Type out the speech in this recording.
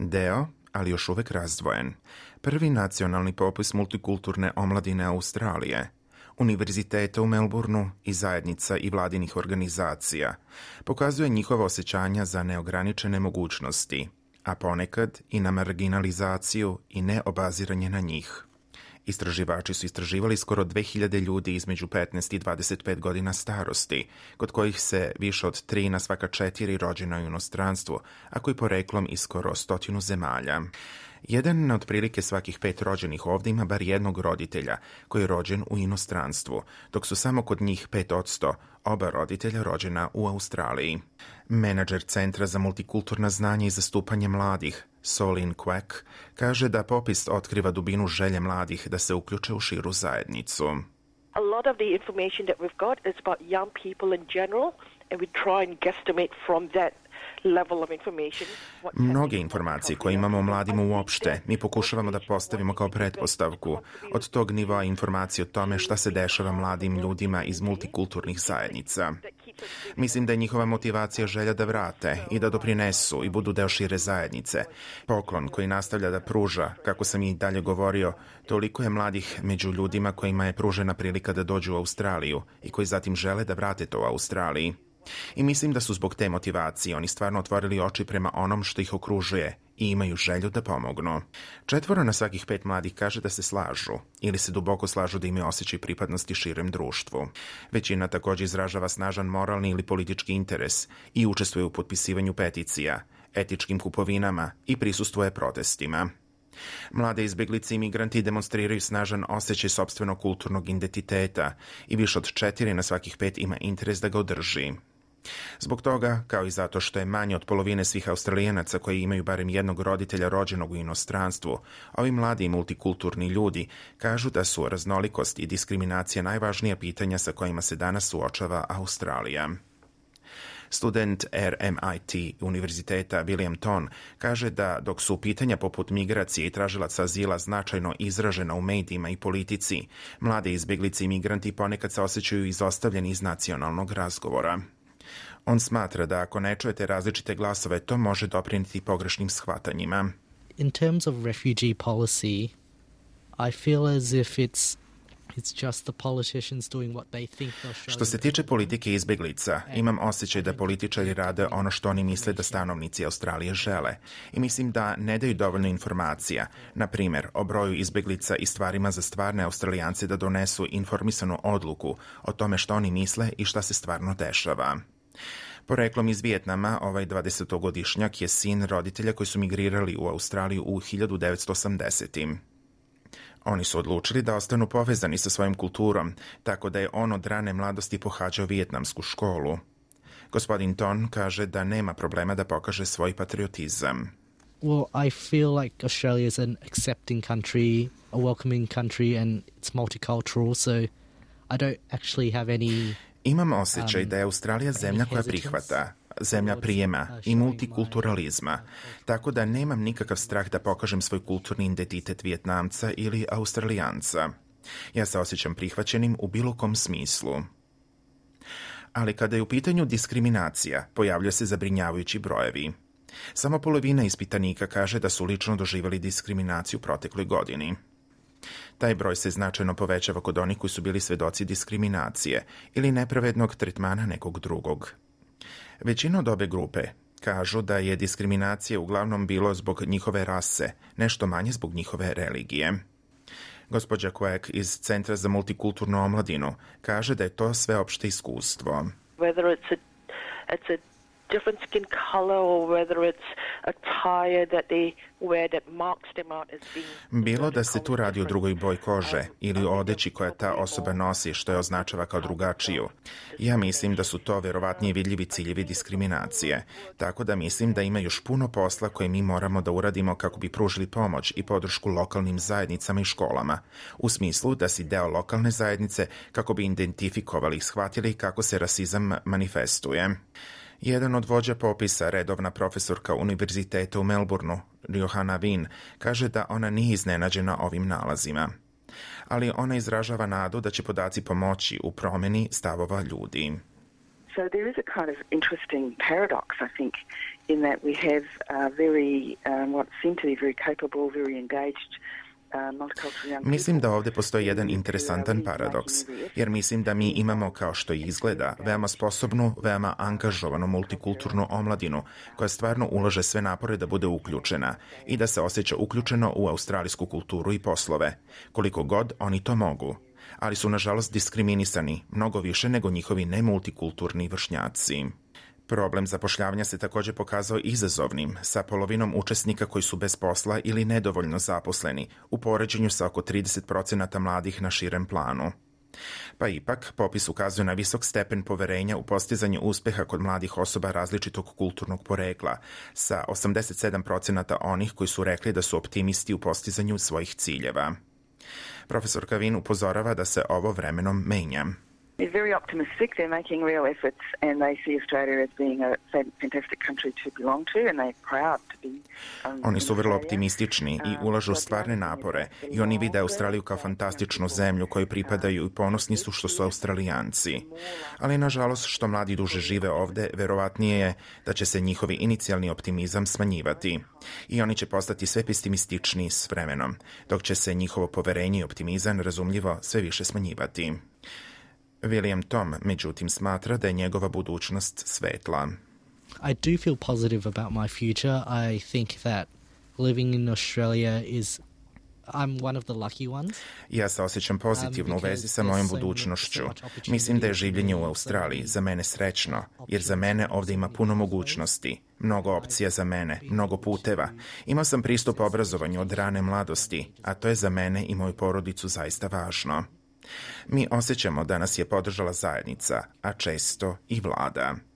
Deo, ali još uvek razdvojen. Prvi nacionalni popis multikulturne omladine Australije, univerziteta u Melbourneu i zajednica i vladinih organizacija, pokazuje njihova osjećanja za neograničene mogućnosti, a ponekad i na marginalizaciju i neobaziranje na njih. Istraživači su istraživali skoro 2000 ljudi između 15 i 25 godina starosti, kod kojih se više od 3 na svaka 4 rođena u inostranstvu, a koji poreklom iz skoro 100 zemalja. Jedan na otprilike svakih 5 rođenih ovdje ima bar jednog roditelja koji je rođen u inostranstvu, dok su samo kod njih 5% oba roditelja rođena u Australiji. Menadžer Centra za multikulturna znanja i zastupanje mladih, Solin Quack, kaže da popis otkriva dubinu želje mladih da se uključe u širu zajednicu. A lot of the information that we've got is about young people in general, and we try and guesstimate from that level of information. Mnoge informacije koje imamo o mladima uopšte, mi pokušavamo da postavimo kao pretpostavku od tog nivoa informacije o tome šta se dešava mladim ljudima iz multikulturnih zajednica. Mislim da je njihova motivacija želja da vrate i da doprinesu i budu deo šire zajednice. Poklon koji nastavlja da pruža, kako sam i dalje govorio, toliko je mladih među ljudima kojima je pružena prilika da dođu u Australiju i koji zatim žele da vrate to u Australiji. I mislim da su zbog te motivacije oni stvarno otvorili oči prema onom što ih okružuje i imaju želju da pomognu. 4 na svakih 5 mladih kaže da se slažu ili se duboko slažu da imaju osjećaj pripadnosti širem društvu. Većina također izražava snažan moralni ili politički interes i učestvuje u potpisivanju peticija, etičkim kupovinama i prisustvuje protestima. Mlade izbeglice i migranti demonstriraju snažan osjećaj sopstvenog kulturnog identiteta i više od 4 na svakih 5 ima interes da ga održi. Zbog toga, kao i zato što je manje od polovine svih Australijanaca koji imaju barem jednog roditelja rođenog u inostranstvu, ovi mladi i multikulturni ljudi kažu da su raznolikost i diskriminacija najvažnija pitanja sa kojima se danas suočava Australija. Student RMIT univerziteta William Ton kaže da dok su pitanja poput migracije i tražilaca azila značajno izražena u medijima i politici, mlade izbjeglice i migranti ponekad se osjećaju izostavljeni iz nacionalnog razgovora. On smatra da ako ne čujete različite glasove, to može doprinijeti pogrešnim shvatanjima. In terms of refugee policy, I feel as if it's just the politicians doing what they think they'll show. Što se tiče politike izbeglica, imam osjećaj da političari rade ono što oni misle da stanovnici Australije žele. I mislim da ne daju dovoljno informacija, na primjer o broju izbeglica i stvarima za stvarne Australijance da donesu informisanu odluku o tome što oni misle i šta se stvarno dešava. Poreklom iz Vijetnama, ovaj 20-godišnjak je sin roditelja koji su migrirali u Australiju u 1980. Oni su odlučili da ostanu povezani sa svojim kulturom, tako da je on od rane mladosti pohađao vijetnamsku školu. Gospodin Ton kaže da nema problema da pokaže svoj patriotizam. Well, I feel like Australia is an accepting country, a welcoming country, and it's multicultural, so I don't actually have any... Imam osjećaj da je Australija zemlja koja prihvata, zemlja prijema i multikulturalizma, tako da nemam nikakav strah da pokažem svoj kulturni identitet Vijetnamca ili Australijanca. Ja se osjećam prihvaćenim u bilo kom smislu. Ali kada je u pitanju diskriminacija, pojavljaju se zabrinjavajući brojevi. Samo polovina ispitanika kaže da su lično doživjeli diskriminaciju protekloj godini. Taj broj se značajno povećava kod onih koji su bili svedoci diskriminacije ili nepravednog tretmana nekog drugog. Većina od ove grupe kažu da je diskriminacija uglavnom bilo zbog njihove rase, nešto manje zbog njihove religije. Gospođa Quack iz Centra za multikulturnu omladinu kaže da je to sveopšte iskustvo. Whether it's a different skin color or whether it's attire that they wear that marks them out as being... Bilo da se tu radi o drugoj boji kože ili o odeći koja ta osoba nosi što je označava kao drugačiju. Ja mislim da su to verovatnije vidljivi ciljevi diskriminacije, tako da mislim da ima još puno posla koje mi moramo da uradimo kako bi pružili pomoć i podršku lokalnim zajednicama i školama, u smislu da si deo lokalne zajednice kako bi identifikovali i shvatili kako se rasizam manifestuje. Jedan od vođa popisa, redovna profesorka univerziteta u Melbourneu, Johanna Wien, kaže da ona nije iznenađena ovim nalazima. Ali ona izražava nadu da će podaci pomoći u promjeni stavova ljudi. So there is a kind of interesting paradox, I think, in that we have very, what seem to be very capable, very engaged Mislim da ovdje postoji jedan interesantan paradoks, jer mislim da mi imamo, kao što izgleda, veoma sposobnu, veoma angažovanu multikulturnu omladinu koja stvarno ulaže sve napore da bude uključena i da se osjeća uključeno u australijsku kulturu i poslove, koliko god oni to mogu. Ali su nažalost diskriminisani mnogo više nego njihovi nemultikulturni vršnjaci. Problem zapošljavanja se također pokazao izazovnim, sa polovinom učesnika koji su bez posla ili nedovoljno zaposleni, u poređenju sa oko 30% mladih na širem planu. Pa ipak, popis ukazuje na visok stepen poverenja u postizanju uspeha kod mladih osoba različitog kulturnog porekla, sa 87% onih koji su rekli da su optimisti u postizanju svojih ciljeva. Profesor Kavin upozorava da se ovo vremenom menja. They're very optimistic. They're making real efforts and they see Australia as being a fantastic country to belong to and they're proud to be. Oni su vrlo optimistični i ulažu stvarne napore i oni vide Australiju kao fantastičnu zemlju kojoj pripadaju i ponosni su što su Australijanci. Ali nažalost što mladi duže žive ovdje, verovatnije je da će se njihovi inicijalni optimizam smanjivati. I oni će postati sve pesimističniji s vremenom, dok će se njihovo poverenje i optimizam razumljivo sve više smanjivati. William Tom, međutim, smatra da je njegova budućnost svetla. I do feel positive about my future. I think that living in Australia is I'm one of the lucky ones. Ja se osjećam pozitivno u vezi sa mojom budućnošću. Mislim da je življenje u Australiji za mene srećno, jer za mene ovdje ima puno mogućnosti, mnogo opcija za mene, mnogo puteva. Imao sam pristup obrazovanju od rane mladosti, a to je za mene i moju porodicu zaista važno. Mi osjećamo da nas je podržala zajednica, a često i vlada.